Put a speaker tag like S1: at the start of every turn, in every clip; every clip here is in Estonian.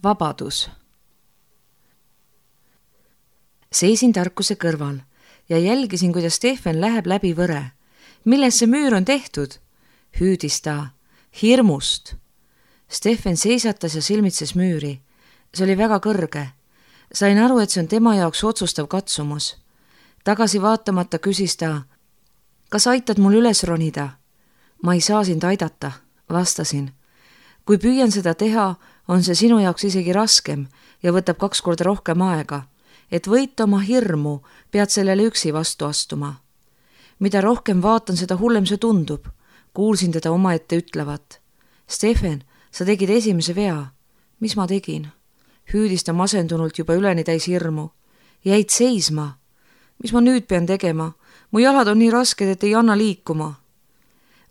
S1: Vabadus. Seisin tarkuse kõrval ja jälgisin, kuidas Stefan läheb läbi võre. Milles see müür on tehtud? Hüüdis ta. Hirmust. Stefan seisatas ja silmitses müüri. See oli väga kõrge. Sain aru, et see on tema jaoks otsustav katsumus. Tagasi vaatamata küsis ta, kas aitad mul üles ronida? Ma ei saa sind aidata, vastasin. Kui püüan seda teha, on see sinu jaoks isegi raskem ja võtab 2 korda rohkem aega. Et võita oma hirmu, pead sellele üksi vastu astuma. Mida rohkem vaatan, seda hullem see tundub. Kuulsin teda omaette ütlevat. Stefan, sa tegid esimese vea. Mis ma tegin? Hüüdis ta masendunult juba üleni täis hirmu. Jäid seisma. Mis ma nüüd pean tegema? Mu jalad on nii rasked, et ei anna liikuma.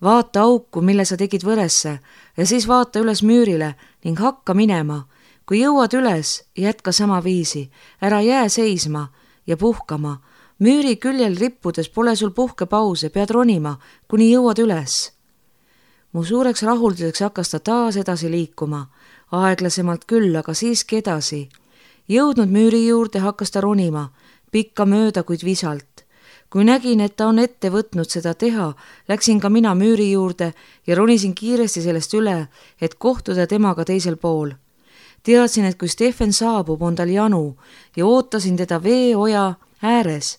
S1: Vaata auku, mille sa tegid võresse ja siis vaata üles müürile ning hakka minema. Kui jõuad üles, jätka sama viisi. Ära jää seisma ja puhkama. Müüri küljel rippudes pole sul puhkepause, pead ronima, kuni jõuad üles. Mu suureks rahulduseks hakkas ta taas edasi liikuma. Aeglasemalt küll, aga siiski edasi. Jõudnud müüri juurde hakkas ta ronima, pikka mööda, kuid visalt. Kui nägin, et ta on ette võtnud seda teha, läksin ka mina müüri juurde ja ronisin kiiresti sellest üle, et kohtuda temaga teisel pool. Teadsin, et kui Stefan saabub, on tal janu ja ootasin teda veeoja ääres.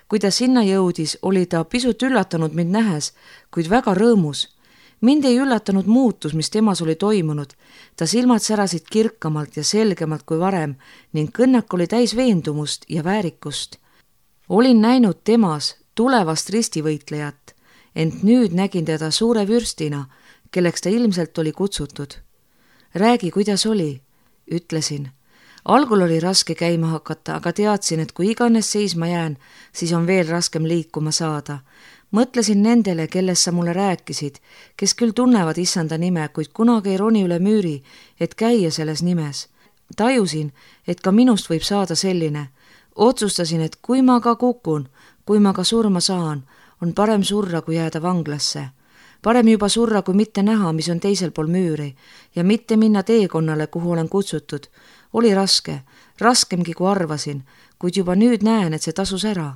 S1: Kui ta sinna jõudis, oli ta pisut üllatunud mind nähes, kuid väga rõõmus. Mind ei üllatanud muutus, mis temas oli toimunud. Ta silmad särasid kirkamalt ja selgemalt kui varem ning kõnnak oli täis veendumust ja väärikust. Olin näinud temas tulevast ristivõitlejat, ent nüüd nägin teda suure vürstina, kelleks ta ilmselt oli kutsutud. Räägi, kuidas oli, ütlesin. Algul oli raske käima hakata, aga teadsin, et kui iganes seisma jään, siis on veel raskem liikuma saada. Mõtlesin nendele, kellest sa mulle rääkisid, kes küll tunnevad issanda nime, kuid kunagi ei roni üle müüri, et käia selles nimes. Tajusin, et ka minust võib saada selline. Otsustasin, et kui ma ka kukun, kui ma ka surma saan, on parem surra, kui jääda vanglasse. Parem juba surra, kui mitte näha, mis on teisel pool müüri ja mitte minna teekonnale, kuhu olen kutsutud. Oli raske, raskemgi kui arvasin, kuid juba nüüd näen, et see tasus ära.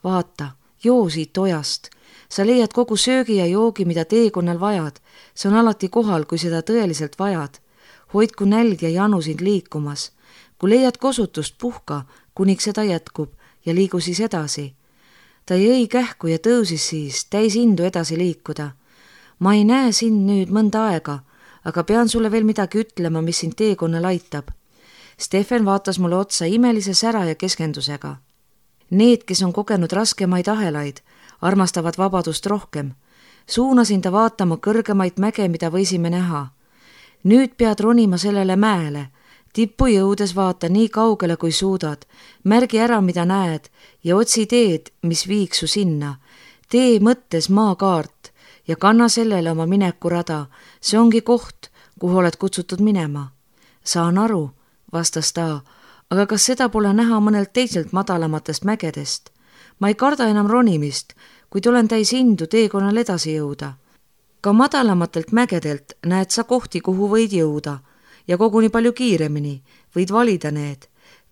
S1: Vaata, joo siit ojast. Sa leiad kogu söögi ja joogi, mida teekonnal vajad. See on alati kohal, kui seda tõeliselt vajad. Hoidku nälg ja janu sind liikumas. Kui leiad kosutust, puhka, kuniks seda jätkub ja liigu siis edasi. Ta jõi kähku ja tõusis siis, täis indu edasi liikuda. Ma ei näe sind nüüd mõnda aega, aga pean sulle veel midagi ütlema, mis sind teekonnal aitab. Stefan vaatas mulle otsa imelise sära ja keskendusega. Need, kes on kogenud raskemaid ahelaid, armastavad vabadust rohkem. Suunasin ta vaatama kõrgemaid mäge, mida võisime näha. Nüüd pead ronima sellele mäele. Tippu jõudes vaata nii kaugele, kui suudad. Märgi ära, mida näed ja otsi teed, mis viiks su sinna. Tee mõttes maakaart ja kanna sellele oma minekurada. See ongi koht, kuhu oled kutsutud minema. Saan aru, vastas ta, aga kas seda pole näha mõnelt teiselt madalamatest mägedest? Ma ei karda enam ronimist, kuid olen täis indu teekonnal edasi jõuda. Ka madalamatelt mägedelt näed sa kohti, kuhu võid jõuda ja koguni palju kiiremini, võid valida need.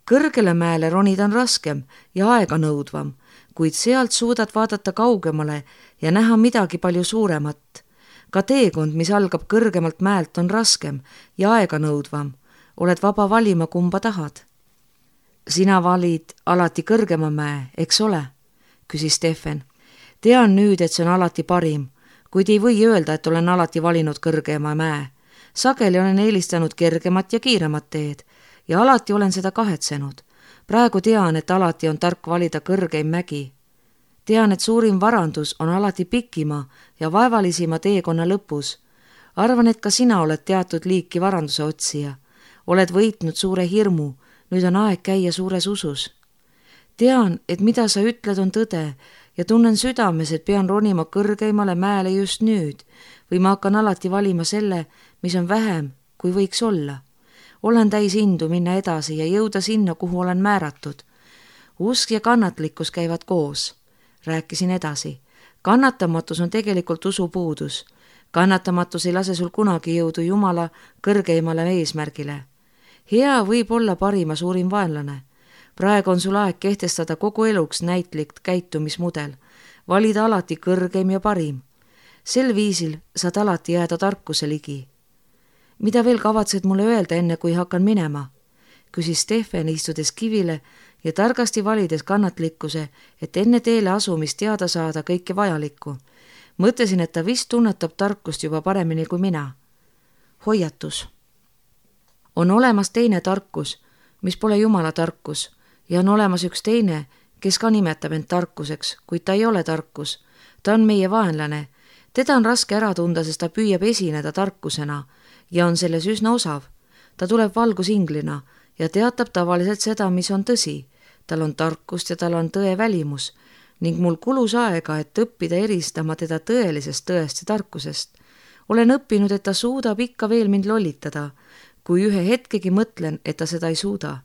S1: Kõrgele mäele ronida on raskem ja aega nõudvam, kuid sealt suudad vaadata kaugemale ja näha midagi palju suuremat. Ka teekond, mis algab kõrgemalt mäelt, on raskem ja aega nõudvam. Oled vaba valima, kumba tahad. Sina valid alati kõrgema mäe, eks ole? Küsis Stefan. Tean nüüd, et see on alati parim, kuid ei või öelda, et olen alati valinud kõrgema mäe. Sageli olen eelistanud kergemat ja kiiremat teed ja alati olen seda kahetsenud. Praegu tean, et alati on tark valida kõrgeim mägi. Tean, et suurim varandus on alati pikima ja vaevalisima teekonna lõpus. Arvan, et ka sina oled teatud liiki varanduse otsija. Oled võitnud suure hirmu, nüüd on aeg käia suures usus. Tean, et mida sa ütled on tõde ja tunnen südames, et pean ronima kõrgeimale mäele just nüüd või ma hakkan alati valima selle, mis on vähem, kui võiks olla. Olen täis indu minna edasi ja jõuda sinna, kuhu olen määratud. Usk ja kannatlikkus käivad koos. Rääkisin edasi. Kannatamatus on tegelikult usupuudus. Kannatamatus ei lase sul kunagi jõudu Jumala kõrgeimale eesmärgile. hea võib olla parima suurim vaenlane. Praegu on sul aeg kehtestada kogu eluks näitlik käitumismudel, valida alati kõrgeim ja parim. Sel viisil saad alati jääda tarkuse ligi. Mida veel kavatsed mulle öelda enne, kui hakkan minema? Küsis Stefan, istudes kivile ja targasti valides kannatlikkuse, et enne teele asumist teada saada kõike vajalikku. Mõtlesin, et ta vist tunnetab tarkust juba paremini kui mina. Hoiatus. On olemas teine tarkus, mis pole Jumala tarkus, ja on olemas üks teine, kes ka nimetab end tarkuseks, kuid ta ei ole tarkus. Ta on meie vaenlane. Teda on raske ära tunda, sest ta püüab esineda tarkusena ja on selles üsna osav. Ta tuleb valgusinglina ja teatab tavaliselt seda, mis on tõsi. Tal on tarkust ja tal on tõe välimus ning mul kulus aega, et õppida eristama teda tõelisest tõest ja tarkusest. Olen õppinud, et ta suudab ikka veel mind lollitada, kui ühe hetkegi mõtlen, et ta seda ei suuda.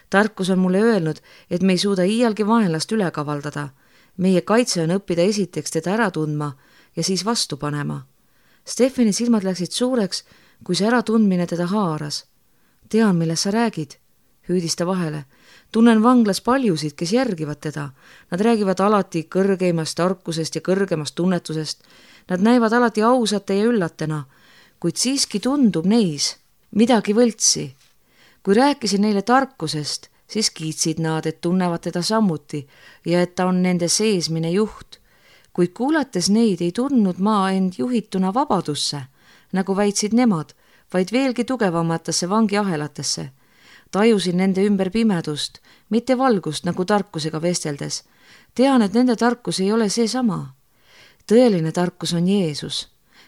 S1: Tarkus on mulle öelnud, et me ei suuda iialgi vaenlast üle kavaldada. Meie kaitse on õppida esiteks teda ära tundma ja siis vastu panema. Stefani silmad läksid suureks, kui see äratundmine teda haaras. Tean, millest sa räägid, hüüdis ta vahele. Tunnen vanglas paljusid, kes järgivad teda. Nad räägivad alati kõrgeimast tarkusest ja kõrgemast tunnetusest. Nad näivad alati ausate ja üllatena, kuid siiski tundub neis midagi võltsi. Kui rääkisin neile tarkusest, siis kiitsid nad, et tunnevad teda samuti ja et ta on nende seesmine juht. Kuid kuulates neid ei tundnud ma end juhituna vabadusse, nagu väitsid nemad, vaid veelgi tugevamatesse vangiahelatesse. Tajusin nende ümber pimedust, mitte valgust nagu tarkusega vesteldes. Tean, et nende tarkus ei ole seesama. Tõeline tarkus on Jeesus.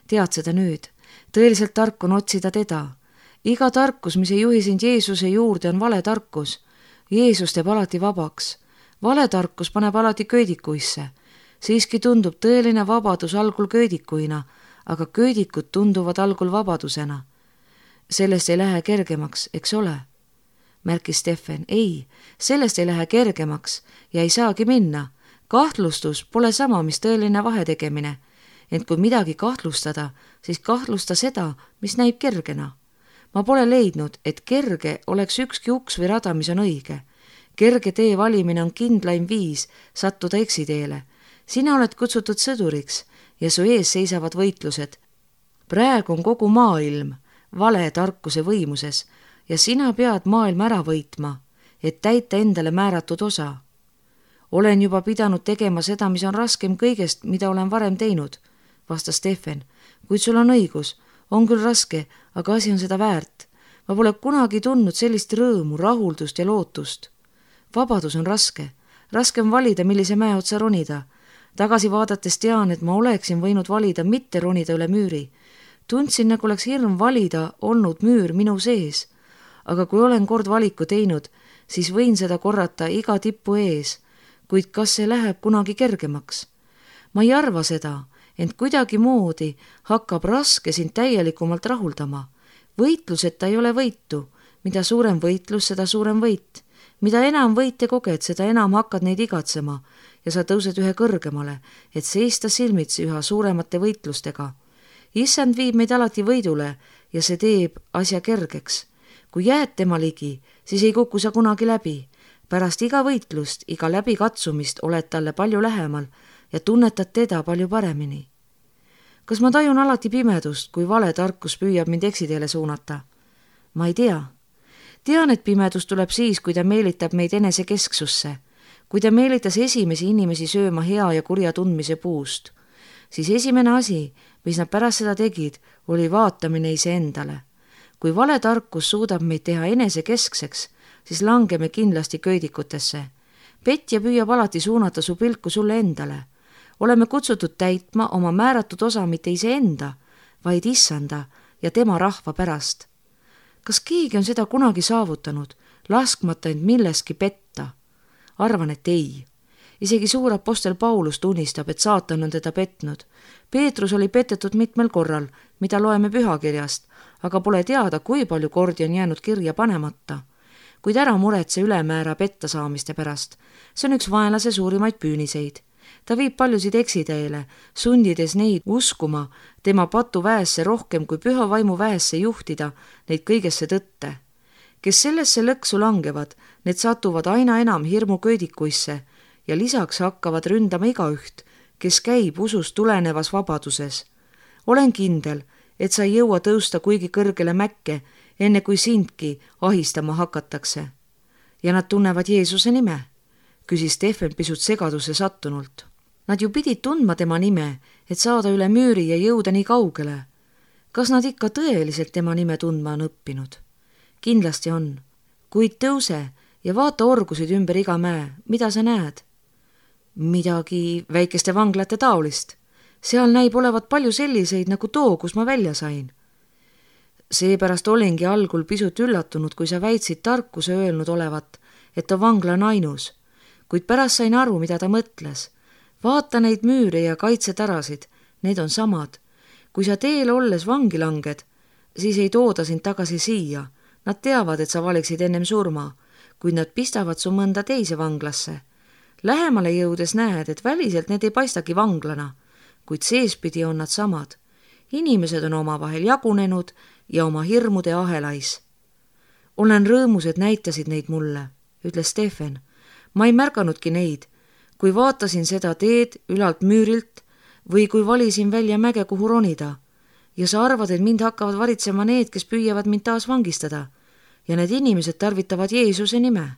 S1: Tead seda nüüd. Tõeliselt tark on otsida teda. Iga tarkus, mis ei juhi sind Jeesuse juurde, on vale tarkus. Jeesus teeb alati vabaks. Vale tarkus paneb alati köödikuisse. Siiski tundub tõeline vabadus algul köödikuina, aga köödikud tunduvad algul vabadusena. Sellest ei lähe kergemaks, eks ole? Märkis Stefan. Ei, sellest ei lähe kergemaks ja ei saagi minna. Kahtlustus pole sama, mis tõeline vahetegemine. Ent kui midagi kahtlustada, siis kahtlusta seda, mis näib kergena. Ma pole leidnud, et kerge oleks ükski uks või rada, mis on õige. Kerge tee valimine on kindlaim viis sattuda eksiteele. Sina oled kutsutud sõduriks ja su ees seisavad võitlused. Praegu on kogu maailm vale tarkuse võimuses ja sina pead maailma ära võitma, et täita endale määratud osa. Olen juba pidanud tegema seda, mis on raskem kõigest, mida olen varem teinud, vastas Stefan. Kuid sul on õigus, on küll raske, aga asi on seda väärt. Ma pole kunagi tundnud sellist rõõmu, rahuldust ja lootust. Vabadus on raske. Raske on valida, millise mäe otsa ronida. Tagasi vaadates tean, et ma oleksin võinud valida mitte ronida üle müüri. Tundsin, nagu oleks hirm valida olnud müür minu sees. Aga kui olen kord valiku teinud, siis võin seda korrata iga tippu ees. Kuid kas see läheb kunagi kergemaks? Ma ei arva seda, ent kuidagi moodi hakkab raske sind täielikumalt rahuldama. Võitluseta ei ole võitu. Mida suurem võitlus, seda suurem võit. Mida enam võite koged, seda enam hakkad neid igatsema ja sa tõused ühe kõrgemale, et seista silmitsi üha suuremate võitlustega. Issand viib meid alati võidule ja see teeb asja kergeks. Kui jääd tema ligi, siis ei kuku sa kunagi läbi. Pärast iga võitlust, iga läbikatsumist oled talle palju lähemal ja tunnetad teda palju paremini. Kas ma tajun alati pimedust, kui vale tarkus püüab mind eksiteele suunata? Ma ei tea. Tean, et pimedus tuleb siis, kui ta meelitab meid enesekesksusse. Kui ta meelitas esimesi inimesi sööma hea ja kurja tundmise puust, siis esimene asi, mis nad pärast seda tegid, oli vaatamine iseendale. Kui vale tarkus suudab meid teha enesekeskseks, siis langeme kindlasti köödikutesse. Petja püüab alati suunata su pilku sulle endale. Oleme kutsutud täitma oma määratud osa mitte iseenda, vaid issanda ja tema rahva pärast. Kas keegi on seda kunagi saavutanud, laskmata end milleski petta? Arvan, et ei. Isegi suur apostel Paulus tunnistab, et saatan on teda petnud. Peetrus oli petetud mitmel korral, mida loeme pühakirjast, aga pole teada, kui palju kordi on jäänud kirja panemata. Kuid ära muretse ülemäära petta saamiste pärast. See on üks vaenlase suurimaid püüniseid. Ta viib paljusid eksiteele, sundides neid uskuma tema patu väesse rohkem kui püha vaimu väesse juhtida neid kõigesse tõtte. kes sellesse lõksu langevad, need satuvad aina enam hirmuköödikuisse ja lisaks hakkavad ründama igaüht, kes käib usust tulenevas vabaduses. Olen kindel, et sa ei jõua tõusta kuigi kõrgele mäkke, enne kui sindki ahistama hakatakse. Ja nad tunnevad Jeesuse nime, küsis Stefan pisut segaduse sattunult. Nad ju pidid tundma tema nime, et saada üle müüri ja jõuda nii kaugele. Kas nad ikka tõeliselt tema nime tundma on õppinud? Kindlasti on. Kuid tõuse ja vaata orgusid ümber iga mäe, mida sa näed? Midagi väikeste vanglate taolist. Seal näib olevat palju selliseid nagu too, kus ma välja sain. Seepärast olingi algul pisut üllatunud, kui sa väitsid tarkuse öelnud olevat, et too vangla on ainus. Kuid pärast sain aru, mida ta mõtles. Vaata neid müüre ja kaitsetarasid, need on samad. Kui sa teel olles vangi langed, siis ei tooda sind tagasi siia. Nad teavad, et sa valiksid ennem surma, kuid nad pistavad su mõnda teise vanglasse. Lähemale jõudes näed, et väliselt need ei paistagi vanglana, kuid seespidi on nad samad. Inimesed on omavahel jagunenud ja oma hirmude ahelais. Olen rõõmus, et näitasid neid mulle, ütles Stefan. Ma ei märganudki neid, kui vaatasin seda teed ülalt müürilt või kui valisin välja mäge, kuhu ronida. Ja sa arvad, et mind hakkavad varitsema need, kes püüavad mind taas vangistada. Ja need inimesed tarvitavad Jeesuse nime.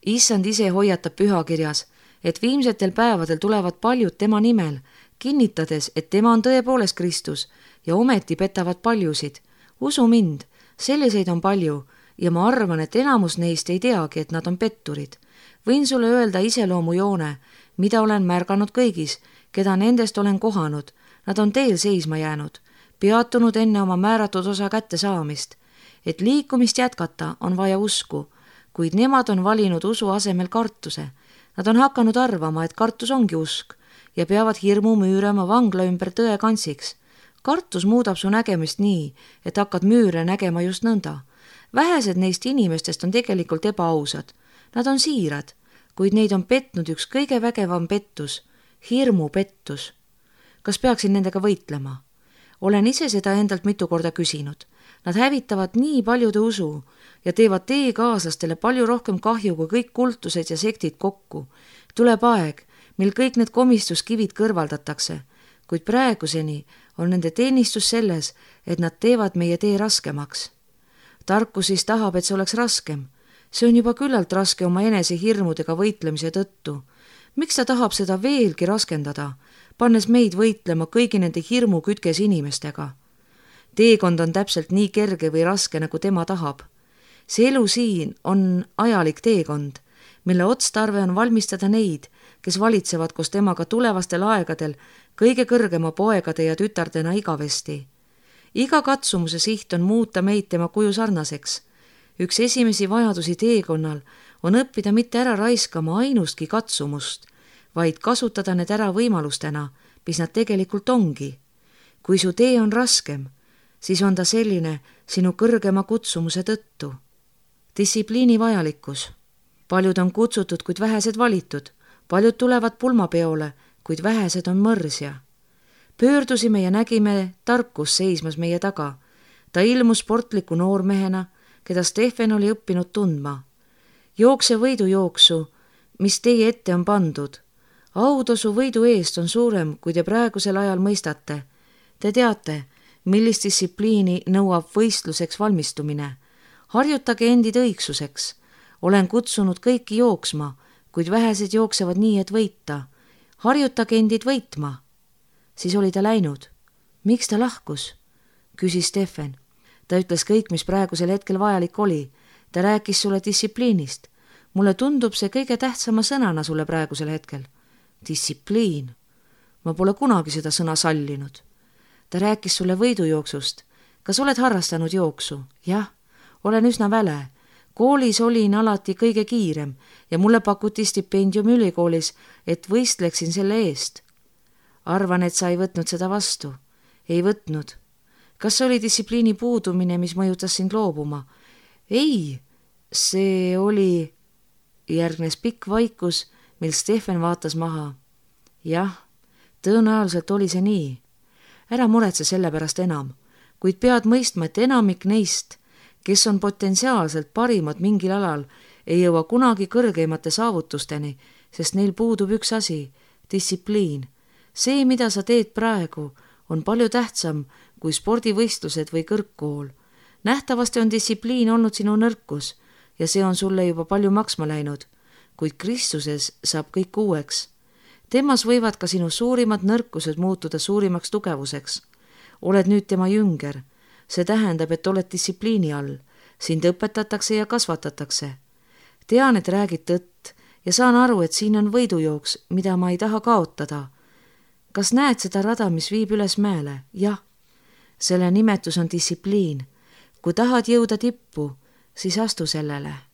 S1: Issand ise hoiatab pühakirjas, et viimsetel päevadel tulevad paljud tema nimel, kinnitades, et tema on tõepoolest Kristus ja ometi petavad paljusid. Usu mind, selliseid on palju ja ma arvan, et enamus neist ei teagi, et nad on petturid. Võin sulle öelda iseloomujoone, mida olen märganud kõigis, keda nendest olen kohanud. Nad on teel seisma jäänud, peatunud enne oma määratud osa kätte saamist. Et liikumist jätkata on vaja usku, kuid nemad on valinud usu asemel kartuse. Nad on hakanud arvama, et kartus ongi usk ja peavad hirmu müürama vangla ümber tõe kantsiks. Kartus muudab su nägemist nii, et hakkad müüre nägema just nõnda. Vähesed neist inimestest on tegelikult ebaausad. Nad on siirad, kuid neid on petnud üks kõige vägevam pettus, hirmupettus. Kas peaksin nendega võitlema? Olen ise seda endalt mitu korda küsinud. Nad hävitavad nii paljude usu ja teevad teie kaaslastele palju rohkem kahju kui kõik kultused ja sektid kokku. Tuleb aeg, mil kõik need komistuskivid kõrvaldatakse, kuid praeguseni on nende teenistus selles, et nad teevad meie tee raskemaks. Tarkus siis tahab, et see oleks raskem. See on juba küllalt raske oma enese hirmudega võitlemise tõttu. Miks ta tahab seda veelgi raskendada, pannes meid võitlema kõigi nende hirmu kütkes inimestega? Teekond on täpselt nii kerge või raske, nagu tema tahab. See elu siin on ajalik teekond, mille otstarve on valmistada neid, kes valitsevad koos temaga tulevastel aegadel kõige kõrgema poegade ja tütardena igavesti. Iga katsumuse siht on muuta meid tema kuju sarnaseks. Üks esimesi vajadusi teekonnal on õppida mitte ära raiskama ainustki katsumust, vaid kasutada need ära võimalustena, mis nad tegelikult ongi. Kui su tee on raskem, siis on ta selline sinu kõrgema kutsumuse tõttu. Distsipliini vajalikkus. Paljud on kutsutud, kuid vähesed valitud. Paljud tulevad pulmapeole, kuid vähesed on mõrsja. Pöördusime ja nägime tarkus seismas meie taga. Ta ilmus sportliku noormehena, keda Stefan oli õppinud tundma. Jookse võidujooksu, mis teie ette on pandud. Autasu võidu eest on suurem, kui te praegusel ajal mõistate. Te teate, millist distsipliini nõuab võistluseks valmistumine. Harjutage endid õigsuseks. Olen kutsunud kõiki jooksma, kuid vähesed jooksevad nii, et võita. Harjutage endid võitma. Siis oli ta läinud. Miks ta lahkus? Küsis Stefan. Ta ütles kõik, mis praegusel hetkel vajalik oli. Ta rääkis sulle distsipliinist. Mulle tundub see kõige tähtsama sõnana sulle praegusel hetkel. Distsipliin. Ma pole kunagi seda sõna sallinud. Ta rääkis sulle võidujooksust. Kas oled harrastanud jooksu? Jah, olen üsna väle. Koolis olin alati kõige kiirem ja mulle pakuti stipendium ülikoolis, et võistleksin selle eest. Arvan, et sa ei võtnud seda vastu. Ei võtnud. Kas see oli distsipliini puudumine, mis mõjutas sind loobuma? Ei, see oli... Järgnes pikk vaikus, mil Stefan vaatas maha. Jah, tõenäoliselt oli see nii. Ära muretse selle pärast enam, kuid pead mõistma, et enamik neist, kes on potentsiaalselt parimad mingil alal, ei jõua kunagi kõrgeimate saavutusteni, sest neil puudub üks asi, distsipliin. See, mida sa teed praegu, on palju tähtsam kui spordivõistlused või kõrgkool. Nähtavasti on distsipliin olnud sinu nõrkus ja see on sulle juba palju maksma läinud, kuid Kristuses saab kõik uueks. Temas võivad ka sinu suurimad nõrkused muutuda suurimaks tugevuseks. Oled nüüd tema jünger. See tähendab, et oled distsipliini all. Sind õpetatakse ja kasvatatakse. Tean, et räägid tõtt ja saan aru, et siin on võidujooks, mida ma ei taha kaotada. Kas näed seda rada, mis viib üles mäele? Jah. Selle nimetus on distsipliin. Kui tahad jõuda tippu, siis astu sellele.